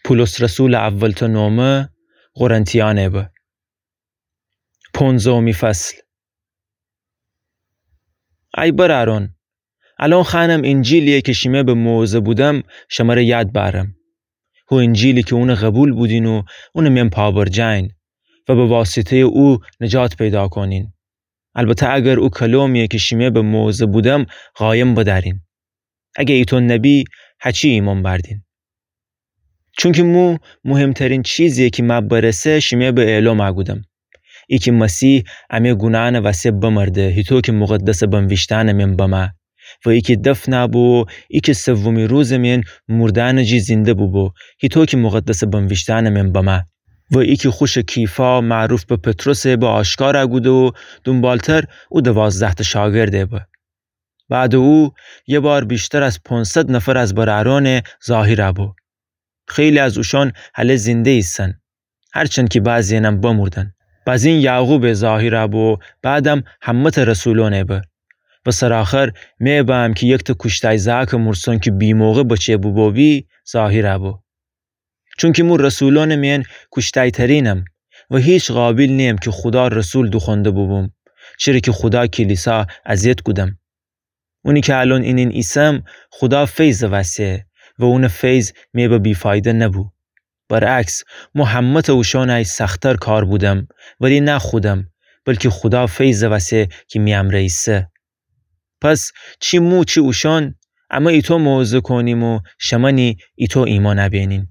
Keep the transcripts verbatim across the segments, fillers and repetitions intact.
پولس رسولٚ اول‌تأ نومه قرنتیأنه به. پونزدهمی فصل. ای برأرأن، الأن خوأنم اینجیلی‌یی کی شیمه به موعظه بودم، شمره یاد بأرم. هو اینجیلی کی اونه قوبیل بودین و اونٚ مئن پابرجه‌یین و به واسطه‌یٚ او نجات پیدا کونین. البته اگر او کلومی‌یی کی شیمه به موعظه بودم قایم بدأرین. اگه ایتو نبی، هچی ایمأن بأردین؟ چونکی مو مهمترین چیزی‌یی کی مأ برسه شیمه به اعلام کودم. ای کی مسیح امه گوناهأنٚ وسه بمرده، هیطو کی مقدسٚ بنویشتأنٚ مئن بمه. و ای کی دفن بو، ای کی سومی روزٚ مئن مردأنٚ جی زنده بوبو، هیطو کی مقدسٚ بنویشتأنٚ مئن بمه. و ای کی خوشٚ کیفا معروف به پطرسه به آشکار کوده و دونبالتر او دوازده‌تأ شاگرده به. بعدٚ او یه بار ویشتر از پونصد نفر از برأرأنه ظاهر بو. خیلی از اوشأن هله زنده ایسن، هرچند کی بعضی‌یأنم بمردن. بزین یعقوبه ظاهر بو، بعدم همه‌تأ رسولأنه به. و سرآخر مه بم کی یکتأ کوشتای زأکٚ مرسن کی بی‌موقع بچه بوبو بی ظاهر بو. چونکی مو رسولأنٚ مئن کوشتای‌ترینم و هیچ قابیل نییم کی خودا رسول دوخونده بوبوم، چره کی خودا کلیسا اذیت کودم. اونی کی الأن اینین ایسم خودا فیضٚ وسه و اونٚ فیض مه به بی‌فایده نبو. برعکس، مو همه‌تأ اوشأنی سخت‌تر کار بودم، ولی نه خودم، بلکی خودا فیضٚ وسه کی می امرأ ایسه. پس چی مو چی اوشأن، امه ایتو موعظه کونیم و شمأنی ایتو ایمأن بینین.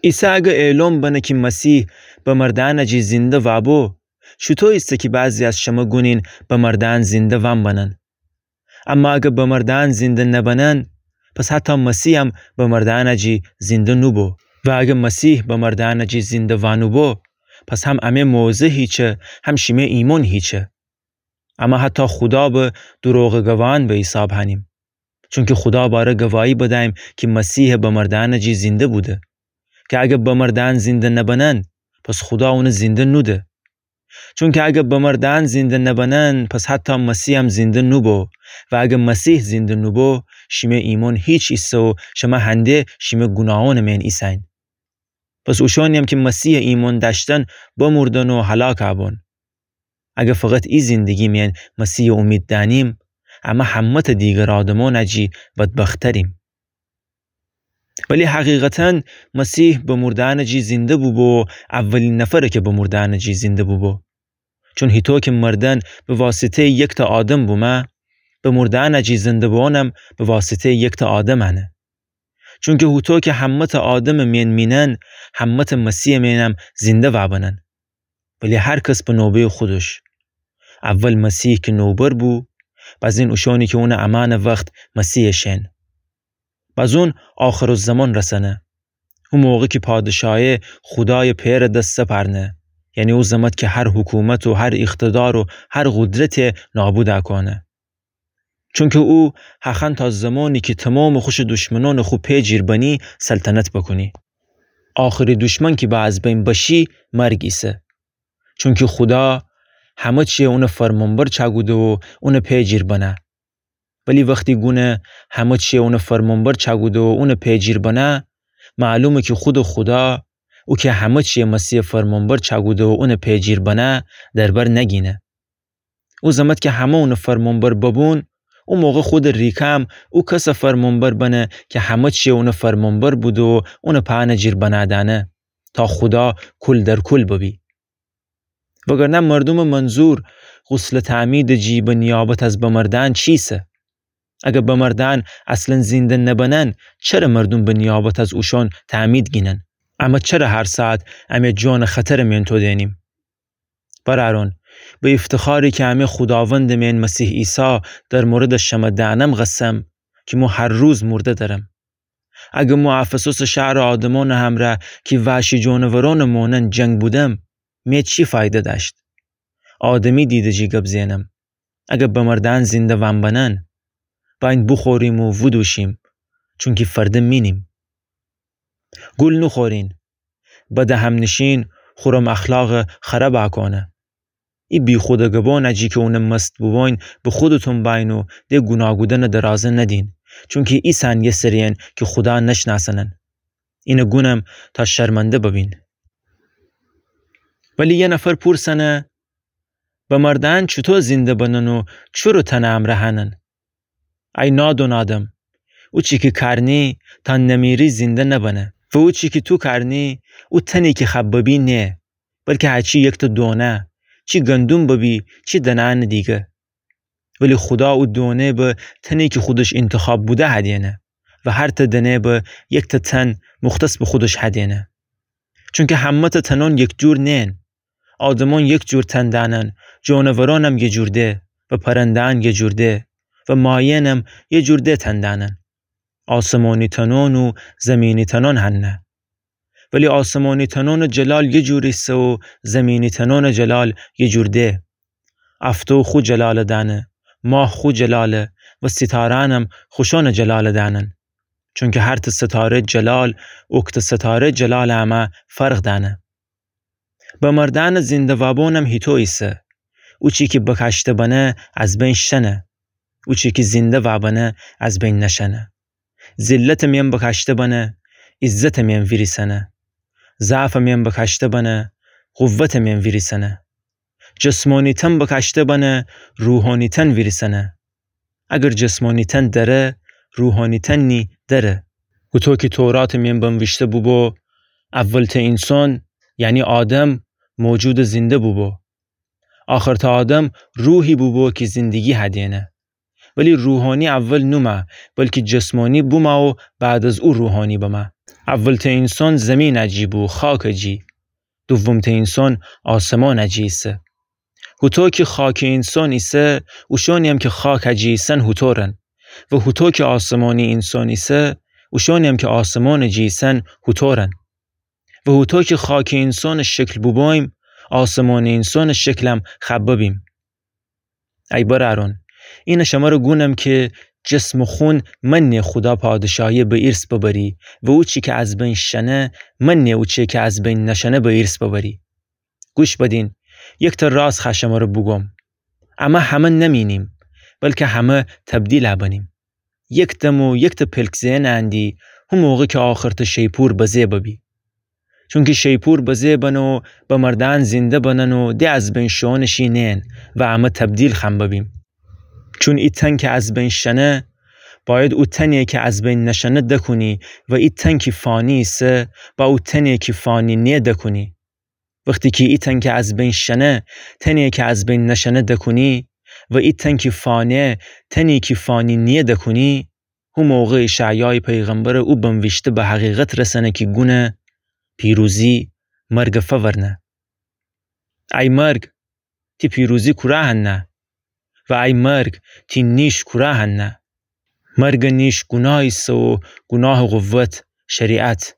عیسی اگه اعلام بنه کی مسیح به مردأنٚ جی زنده وابو، چوطو ایسه کی بعضی از شمه گونین به مردأن زنده وأن بنن؟ اما اگه به مردأن زنده نبنن، پس حتی مسیحم به مردأنٚ جی زنده نوبو. و اگه مسیح به مردأنٚ جی زنده وأنوبو، پس هم امه موعظه هیچه، هم شیمه ایمأن هیچه. اما حتی خودا به دروغٚ گواهأن به حیساب هنیم. چونکی خودا باره گواهی بدیم کی مسیح به مردأنٚ جی زنده بوده. کی اگه به مردأن زنده نبنن، پس خودا اونه زنده نوده. چونکی اگه به مردأن زنده نبنن، پس حتی مسیحم زنده نوبو. و اگه مسیح زنده نوبو، شیمه ایمأن هیچ ایسه و شمه هنده شیمه گوناهأنٚ مئن ایسین. پس اوشأنی‌یم کی مسیحٚ ایمأن دأشتن بمردن و هلاک بون. اگه فقط ای زندگی مئن مسیحٚ اومید دأنیم، امه همه‌تأ دیگر آدمأنٚ جی بدبخت‌تریم. ولی حقیقتاً مسیح به مردأنٚ جی زنده بوبو و اولین نفره کی به مردأنٚ جی زنده بوبو. چون هیطو کی مردن به واسطه‌یٚ یکتأ آدم بومه، به مردأنٚ جی زنده بوئونم به واسطه‌یٚ یکتأ آدم انه. چونکی هوطو کی همه‌تأ آدمٚ مئن مینن، همه‌تأ مسیحٚ مئنم زنده وأبنن. ولی هر کس به نوبه‌یٚ خودش. اول مسیح کی نوبر بو، بزین اوشأنی کی اونٚ امأنٚ وخت مسیحٚ شئن. بزون آخرالزمان رسنه. او موقع کی پادشاهی خودایٚ پئرٚ دس سپرنه. یعنی او زمت کی هر حکومت و هر اقتدار و هر قدرتی نابود کونه. چونکی او هخوأن تا زمانی کی تومامٚ خوشٚ دشمنأنٚ خو پئجیر بنی سلطنت بوکونی. آخری دشمن کی به از بین بشی مرگ ایسه. چونکی خودا همه چیه اونٚ فرمانبر چأکوده و اونٚ پئجیر بنه. ولی وختی گونه همه چیه اونٚ فرمانبر چأکوده و اونٚ پئجیر بنه، معلومه کی خودٚ خودا، او کی همه چیه مسیحٚ فرمانبر چأکوده و اونٚ پئجیر بنه، در بر نگینه. او زمت کی همه اونٚ فرمانبر ببون، او موقع خودٚ ریکم او کسٚ فرمانبر بنه کی همه چیه اونٚ فرمانبر بوده و اونٚ پأنٚ جیر بنأ دأنه، تا خودا کل در کل ببی. وگرنه مردومٚ منظور غسلٚ تعمیدٚ جی به نیابت از بمردأن چیسه؟ اگر بمردأن اصلاً زنده نبنن، چره مردوم به نیابت از اوشأن تعمید گینن؟ امه چره هر ساعت امه جانٚ خطرٚ مئن تودینیم؟ برأرون، به افتخاری کی امه خوداوندٚ مئن مسیح عیسی در موردٚ شمه دأنم قسم، کی مو هر روز مرده درم. اگر مو افسوسٚ شهرٚ آدمأنٚ همرأ کی وحشی جانورأنٚ مانند جنگ بودم، مه چی فایده دأشت؟ آدمی دیدٚ جی گب زئنم. اگر بمردأن زنده وأن بنن، بأین بوخوریم و ودوشیم، چونکی فرده مینیم. گول نوخورین، بدٚ همنشین خورم اخلاقٚ خراب کونه. ای بیخودٚ گبأنٚ جی کی اونٚ مست بوبوین به خودتون بأین و ده گوناه کودنٚ درازه ندین، چونکی ایسأن یه سری‌ین کی خودا نشنأسنن. اینه گونم تا شرمنده ببین. ولی یه نفر پورسنه، بمرده‌یأن چوطو زنده بنن و چرو تنٚ امرأ هنن؟ ای نادون آدم، اوچی کی کارنی تا نمیری زنده نبنه. و اوچی کی تو کارنی، او تنی کی خببی نیه، بلکی هچی یکتأ دونه، چی گندوم ببی، چی دنه‌یأنٚ دیگه. ولی خودا او دونه به تنی کی خودش اینتخاب بوده هدینه و هرتأ دنه به یکتأ تن مختص به خودش هدینه. چونکی همه‌تأ تنون یکجور نیین. آدمون یکجور تن دأنن، جونورونم یه جور ده و پرنده‌یأن یه جور ده و مایینم یه جور ده تن دأنن. آسمانی تنون و زمینی تنون هنه. ولی آسمانی تنونٚ جلال یه جور ایسه و زمینی تنونٚ جلال یه جور ده. افتو خو جلالٚ دأنه، ماه خو جلاله و ستاره‌یأنم خوشونٚ جلالٚ دأنن. چونکی هرتأ ستاره جلال، اوکتأ ستاره جلالٚ امه فرق دأنه. بمرده‌یأنٚ زنده وابونم هیطو ایسه. اوچی کی بکاشته بنه از بین شنه. اوچی کی زنده وابنه از بین نشنه. ذلتٚ مئن بکاشته بنه، عزتٚ مئن ویریسنه. ضعفٚ مئن بکاشته بنه، قوتٚ مئن ویریسنه. جسمانی تن بکاشته بنه، روحانی تن ویریسنه. اگر جسمانی تن دره، روحانی تن نی دره. هوطو کی توراتٚ مئن بنویشته بوبو، اولتأ اینسان، یعنی آدم، موجودٚ زنده بوبو. آخرتأ آدم روحی بوبو کی زندگی هدینه. ولی روحانی اول نومه، بلکی جسمانی بومه و بعد از او روحانی بمه. اولتأ اینسان زمینٚ جی بو، خاکٚ جی. دومتأ اینسان آسمانٚ جی ایسه. هوطو کی خاکی اینسان ایسه، اوشونی‌یم کی خاکٚ جی ایسن هوطورن. و هوطو کی آسمانی اینسان ایسه، اوشونی‌یم کی آسمانٚ جی ایسن هوطورن. و هوطو کی خاکی اینسانٚ شکل بوبویم، آسمانی اینسانٚ شکلم خببیم. ای برأرون، اینه شمره گونم کی جسم و خون منه خودا پادشاهی به ایرث ببری و اوچی کی از بین شنه منه اوچی کی از بین نشنه به ایرث ببری. گوش بدین، یکتأ راز خوأ شمره بوگوم. امه همه نمینیم، بلکی همه تبدیل بنیم. یک دم و یکتأ پلک زئن اندی، هو موقع کی آخرتأ شیپور بزه ببی. چونکی شیپور بزه بنه و بمرده‌یأن زنده بنن و ده از بین شوئونٚ شی نئن و امه تبدیل خوأن ببیم. چون ای تن کی از بین شنه، باید او تنی کی از بین نشنه دکونی و ای تن کی فانی ایسه، با او تنی کی فانی نیه دکونی. وختی کی ای تن کی از بین شنه، تنی کی از بین نشنه دکونی و ای تن کی فانیه، تنی کی فانی نیه دکونی، هو موقع اشعیایٚ پیغمبرٚ او بنویشته به حقیقت رسنه کی گونه، پیروزی مرگٚ فورنه. ای مرگ، تی پیروزی کورا هنه؟ و ای مرگ، تی نیش کورا هنه؟ مرگٚ نیش گوناه ایسه و گوناهٚ قوت شریعت.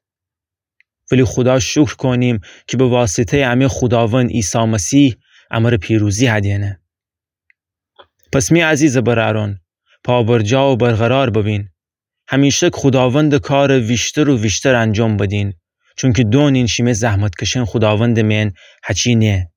ولی خودا شکر کونیم کی به واسطه‌یٚ امه خوداوند عیسی مسیح امره پیروزی هدینه. پس می عزیزٚ برأرون، پابرجا و برقرار ببین. همیشک خوداوندٚ کار ویشتر و ویشتر انجام بدین، چونکی دونین شیمه زحمتکشئن خوداوندٚ مئن هچی نیه.